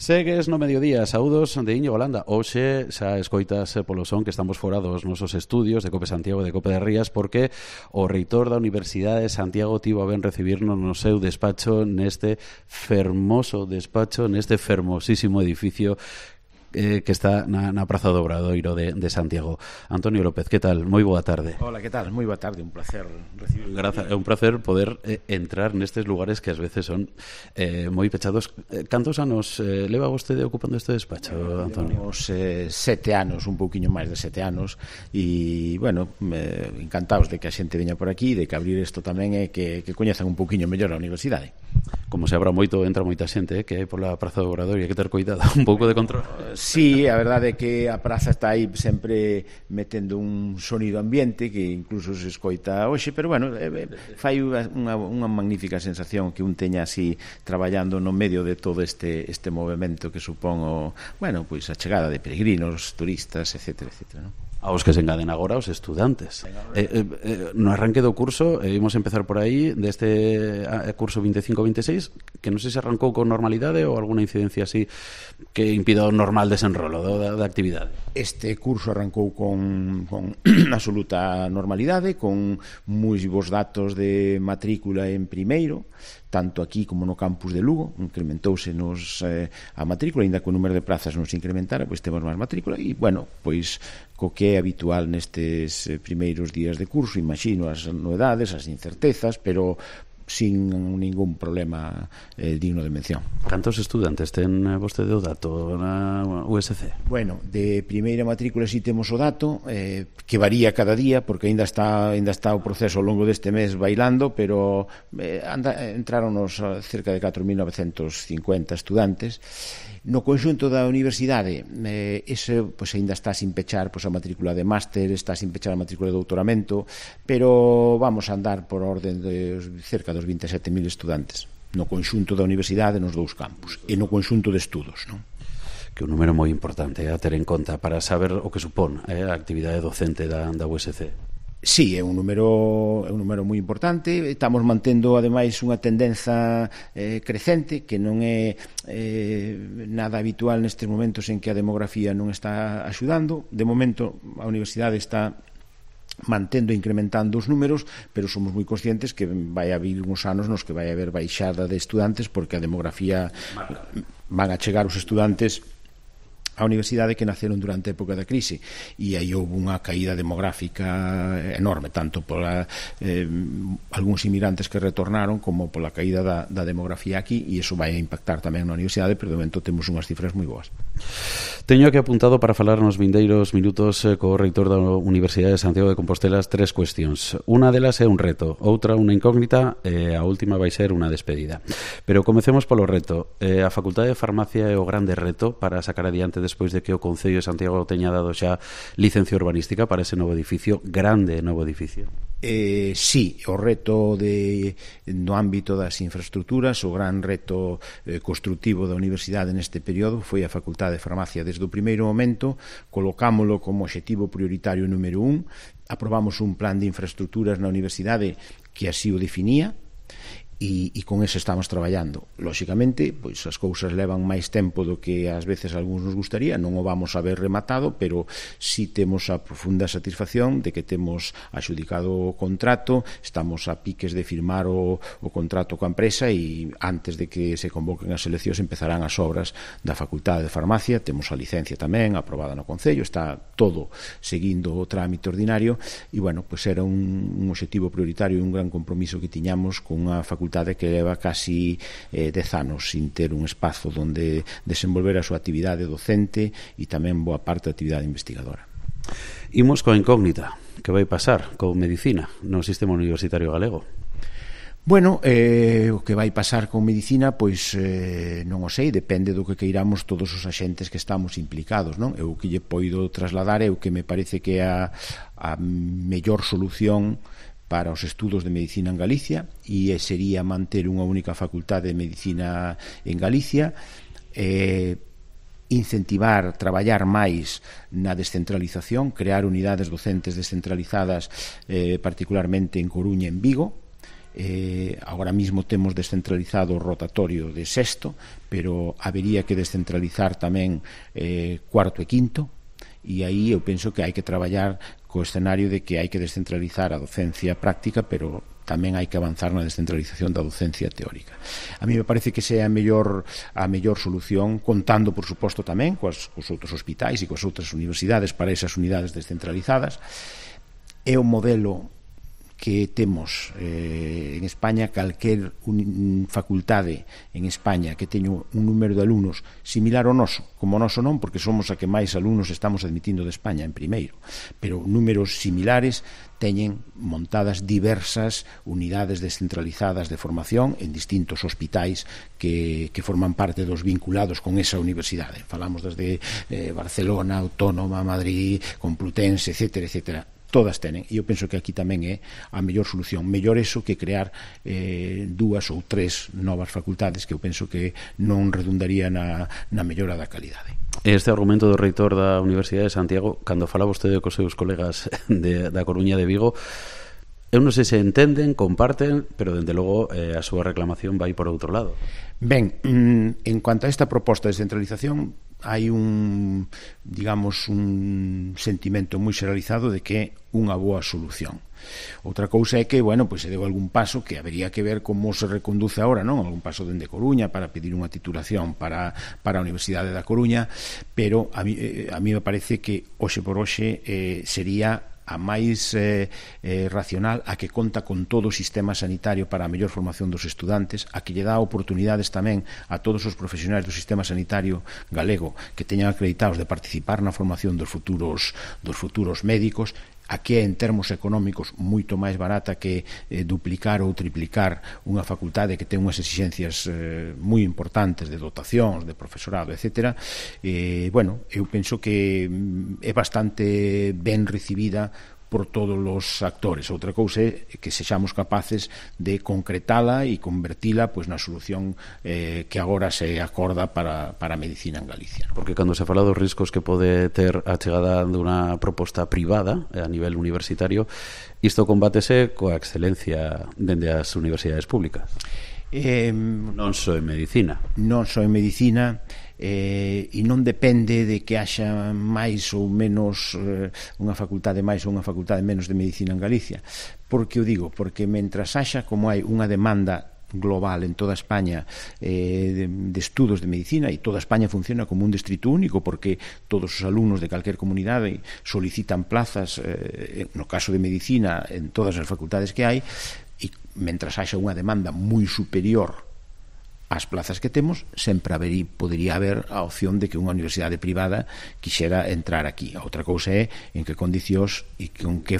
Segues no mediodía, saúdos de Íñigo Landa. Hoxe xa escoitas polo son que estamos fora dos nosos estudios de Cope Santiago e de Cope de Rías, porque o reitor da Universidade de Santiago tivo a ben recibirnos no seu despacho, neste fermoso despacho, neste fermosísimo edificio que está na Praza do Obradoiro de Santiago. Antonio López, que tal? Moi boa tarde. Hola, que tal? Moi boa tarde, un placer recibir. É un placer poder entrar nestes lugares que ás veces son moi pechados. Cantos anos leva vostede ocupando este despacho, Antonio? Levamos 7 anos, un pouquiño máis de 7 anos, e, bueno, encantados de que a xente veña por aquí, de que abrir isto tamén é que coñezan un pouquiño mellor a universidade. Como se abra moito, entra moita xente que hai pola Praza do Obradoiro, hai que ter cuidado, un pouco de control. Sí, a verdade é que a praza está aí sempre metendo un sonido ambiente que incluso se escoita hoxe, pero bueno, fai unha magnífica sensación que un teña así traballando no medio de todo este movimento que supón pois a chegada de peregrinos, turistas, etcétera, etcétera, non? Aos que se engaden agora os estudantes. No arranque do curso, imos empezar por aí, deste curso 25-26, que non sei se arrancou con normalidade ou alguna incidencia así que impida o normal desenrolo da actividade. Este curso arrancou con absoluta normalidade, con moi bons datos de matrícula en primeiro, tanto aquí como no campus de Lugo. Incrementouse a matrícula, ainda que o número de plazas non se incrementara, pois temos máis matrícula, e, bueno, pois co que é habitual nestes primeiros días de curso, imagino as novedades, as incertezas, pero sin ningún problema digno de mención. Cantos estudantes ten vostede o dato na USC? Bueno, de primeira matrícula si temos o dato, que varía cada día, porque ainda está o proceso ao longo deste mes bailando, pero entraronos cerca de 4.950 estudantes. No conxunto da universidade, ese pois aínda está sin pechar a matrícula de máster, está sin pechar a matrícula de doutoramento, pero vamos a andar por orden de cerca dos 27.000 estudantes no conxunto da universidade nos dous campus e no conxunto de estudos, non? Que un número moi importante a ter en conta para saber o que supón a actividade docente da USC. Sí, é un número moi importante. Estamos mantendo, ademais, unha tendenza crecente, que non é nada habitual nestes momentos en que a demografía non está axudando. De momento, a universidade está mantendo e incrementando os números, pero somos moi conscientes que vai haber uns anos nos que vai haber baixada de estudantes, porque a demografía van a chegar os estudantes a universidade que naceron durante a época da crise, e aí houve unha caída demográfica enorme, tanto por algúns inmigrantes que retornaron como pola caída da demografía aquí, e iso vai a impactar tamén na universidade, pero de momento temos unhas cifras moi boas. Teño aquí apuntado para falar nos vindeiros minutos co reitor da Universidade de Santiago de Compostela 3 cuestións. Unha delas é un reto, outra unha incógnita, e a última vai ser unha despedida. Pero comecemos polo reto. A Facultade de Farmacia é o grande reto para sacar adiante despois de que o Concello de Santiago teña dado xa licencia urbanística para ese novo edificio, grande novo edificio. Sí, o reto no ámbito das infraestructuras, o gran reto constructivo da universidade neste período foi a Facultade de Farmacia. Desde o primeiro momento colocámolo como obxectivo prioritario número 1, aprobamos un plan de infraestructuras na universidade que así o definía, e con eso estamos traballando. Lóxicamente, pois as cousas levan máis tempo do que ás veces algúns nos gustaría, non o vamos a ver rematado, pero si temos a profunda satisfacción de que temos axudicado o contrato, estamos a piques de firmar o contrato coa empresa, e antes de que se convoquen as eleccións empezarán as obras da Facultade de Farmacia. Temos a licencia tamén aprobada no Concello, está todo seguindo o trámite ordinario, e, bueno, pois era un obxectivo prioritario e un gran compromiso que tiñamos con unha facultade que leva casi 10 anos sin ter un espazo onde desenvolver a súa actividade docente e tamén boa parte da actividade investigadora. Imos coa incógnita, que vai pasar con medicina no sistema universitario galego? Bueno, o que vai pasar con medicina, pois non o sei, depende do que queiramos todos os axentes que estamos implicados, non? Eu que lle poido trasladar é o que me parece que é a mellor solución para os estudos de medicina en Galicia, e sería manter unha única facultade de medicina en Galicia, incentivar, traballar máis na descentralización, crear unidades docentes descentralizadas, particularmente en Coruña e en Vigo, Agora mismo temos descentralizado o rotatorio de sexto, pero habería que descentralizar tamén cuarto e quinto, e aí eu penso que hai que traballar co escenario de que hai que descentralizar a docencia práctica, pero tamén hai que avanzar na descentralización da docencia teórica. A mí me parece que esa é a mellor solución, contando, por suposto, tamén cos outros hospitais e coas outras universidades para esas unidades descentralizadas. É o modelo que temos en España. Calquer facultade en España que teña un número de alumnos similar ao noso, como o noso non, porque somos a que máis alumnos estamos admitindo de España en primeiro, pero números similares, teñen montadas diversas unidades descentralizadas de formación en distintos hospitais que forman parte dos vinculados con esa universidade. Falamos desde Barcelona, Autónoma, Madrid, Complutense, etcétera, etcétera. Todas tenen, e eu penso que aquí tamén é a mellor solución. Mellor eso que crear 2 ou 3 novas facultades, que eu penso que non redundaría na mellora da calidade. Este argumento do reitor da Universidade de Santiago, cando falaba vostede cos seus colegas da Coruña de Vigo, eu non sei se entenden, comparten, pero dende logo a súa reclamación vai por outro lado. Ben, en cuanto a esta proposta de descentralización, hai un sentimento moi xeralizado de que é unha boa solución. Outra cousa é que, pois se deu algún paso que habería que ver como se reconduce agora, non? Algún paso dende Coruña para pedir unha titulación para a Universidade da Coruña, pero a mí me parece que hoxe por hoxe sería a máis racional, a que conta con todo o sistema sanitario para a mellor formación dos estudantes, a que lle dá oportunidades tamén a todos os profesionais do sistema sanitario galego que teñan acreditados de participar na formación dos futuros médicos, a que é en termos económicos moito máis barata que duplicar ou triplicar unha facultade que ten unhas exixencias moi importantes de dotacións, de profesorado, etc. Eu penso que é bastante ben recibida por todos os actores. Outra cousa é que sexamos capaces de concretala e convertila na solución que agora se acorda para a medicina en Galicia. Porque cando se fala dos riscos que pode ter a chegada dunha proposta privada a nivel universitario, isto combátese coa excelencia dende as universidades públicas. Non só en medicina. Non só en medicina, e non depende de que haxa máis ou menos unha facultade máis ou unha facultade menos de medicina en Galicia. Por que o digo? Porque mentras haxa, como hai unha demanda global en toda España de estudos de medicina, e toda España funciona como un distrito único porque todos os alumnos de calquer comunidade solicitan plazas, no caso de medicina, en todas as facultades que hai, e mentras haxa unha demanda moi superior ás plazas que temos, sempre podería haber a opción de que unha universidade privada quixera entrar aquí. A outra cousa é en que condicións e con que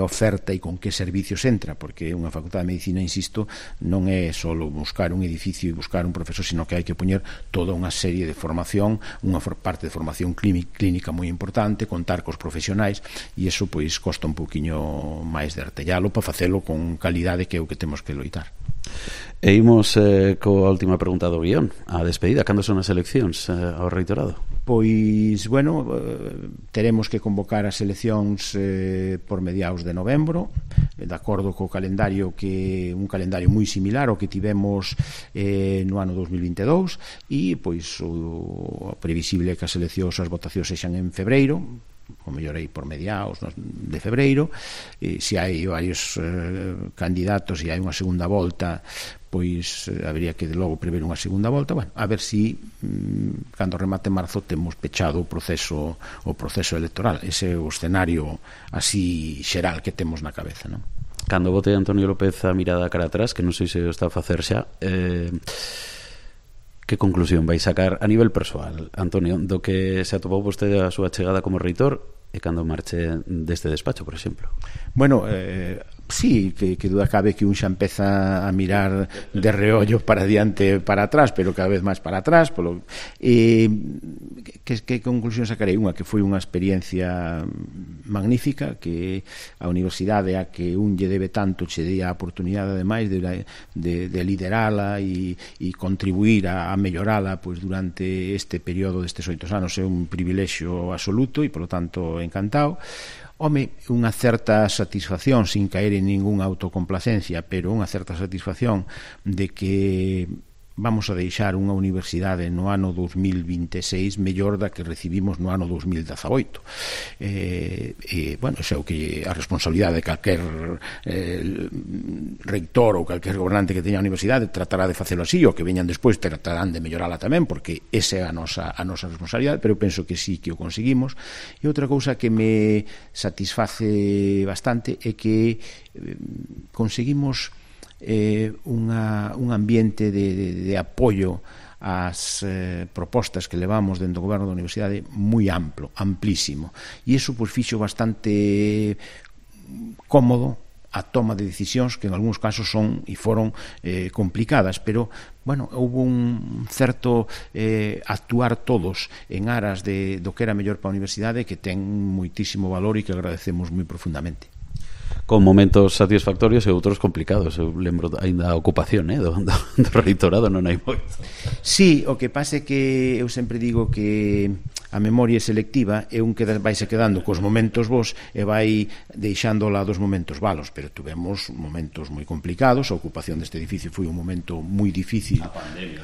oferta e con que servicios entra, porque unha facultade de medicina, insisto, non é só buscar un edificio e buscar un profesor, sino que hai que poñer toda unha serie de formación, unha parte de formación clínica moi importante, contar cos profesionais, e iso pois costa un pouquiño máis de artellalo para facelo con calidade, que é o que temos que loitar. E imos coa última pregunta do guión, a despedida. Cando son as eleccións ao reitorado? Pois, teremos que convocar as eleccións por mediados de novembro, de acordo co calendario, que un calendario moi similar ao que tivemos no ano 2022, e pois o previsible é que as eleccións, as votacións sexan en febreiro, o mellor aí por mediados de febreiro. Se hai varios candidatos e hai unha segunda volta, pois habería que logo prever unha segunda volta, a ver si cando remate marzo temos pechado o proceso electoral. Ese é o escenario así xeral que temos na cabeza, non? Cando vote Antonio López a mirada cara atrás, que non sei se o está a facer xa, que conclusión vai sacar a nivel persoal, Antonio, do que se atopou vostede a súa chegada como reitor e cando marche deste despacho, por exemplo? Sí, que duda cabe que un xa empeza a mirar de reollo para diante, para atrás, pero cada vez máis para atrás. Que conclusión sacarei? Unha, que foi unha experiencia magnífica, que a universidade a que un lle debe tanto che dé a oportunidade ademais de liderala e contribuir a mellorala durante este período destes 8 anos. É un privilexio absoluto e, polo tanto, encantado. Home, unha certa satisfacción, sin caer en ningunha autocomplacencia, pero unha certa satisfacción de que vamos a deixar unha universidade no ano 2026 mellor da que recibimos no ano 2018. Bueno, xa o que a responsabilidade de calquer reitor ou calquer gobernante que teña a universidade tratará de facelo así, o que veñan despois tratarán de mellorala tamén, porque esa é a nosa responsabilidade, pero penso que sí que o conseguimos. E outra cousa que me satisface bastante é que conseguimos un ambiente de apoio ás propostas que levamos dentro do goberno da universidade moi amplo, amplísimo, e iso pois fixo bastante cómodo a toma de decisións que en algúns casos son e foron complicadas, pero bueno, houve un certo actuar todos en aras do que era mellor para a universidade, que ten moitísimo valor e que agradecemos moi profundamente. Con momentos satisfactorios e outros complicados. Eu lembro aínda a ocupación do reitorado, non hai moito. Sí, o que pasa é que eu sempre digo que a memoria é selectiva e un vaise quedando cos momentos bons e vai deixando lá dos momentos malos, pero tuvemos momentos moi complicados. A ocupación deste edificio foi un momento moi difícil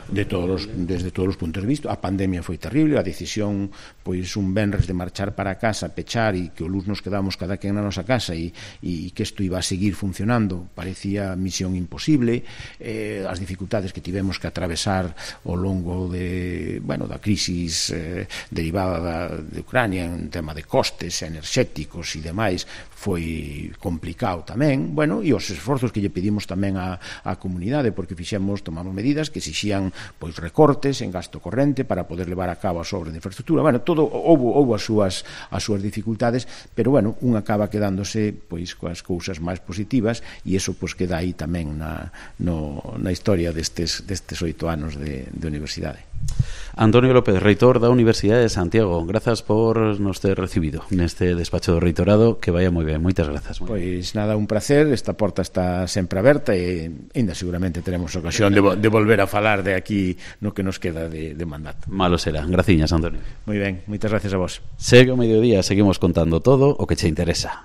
desde todos os puntos de vista. A pandemia foi terrible, a decisión pois un venres de marchar para casa, pechar e que o luz nos quedamos cada quen na nosa casa e que isto iba a seguir funcionando parecía misión imposible. As dificultades que tivemos que atravesar ao longo da crisis derivada de Ucrania en tema de costes enerxéticos e demais foi complicado tamén, e os esforzos que lle pedimos tamén á comunidade, porque tomamos medidas que exixían pois recortes en gasto corrente para poder levar a cabo as obras de infraestructura. Todo houve as súas dificultades, pero un acaba quedándose pois coas cousas máis positivas, e iso pois queda aí tamén na historia destes 8 anos de universidade. Antonio López, reitor da Universidade de Santiago, grazas por nos ter recibido neste despacho do reitorado, que vaya moi ben, moitas grazas. Pois nada, un placer, esta porta está sempre aberta e ainda seguramente teremos ocasión de volver a falar de aquí no que nos queda de mandato. Malo será, graciñas, Antonio. Moi ben, moitas gracias a vos. Segue o mediodía, seguimos contando todo o que che interesa.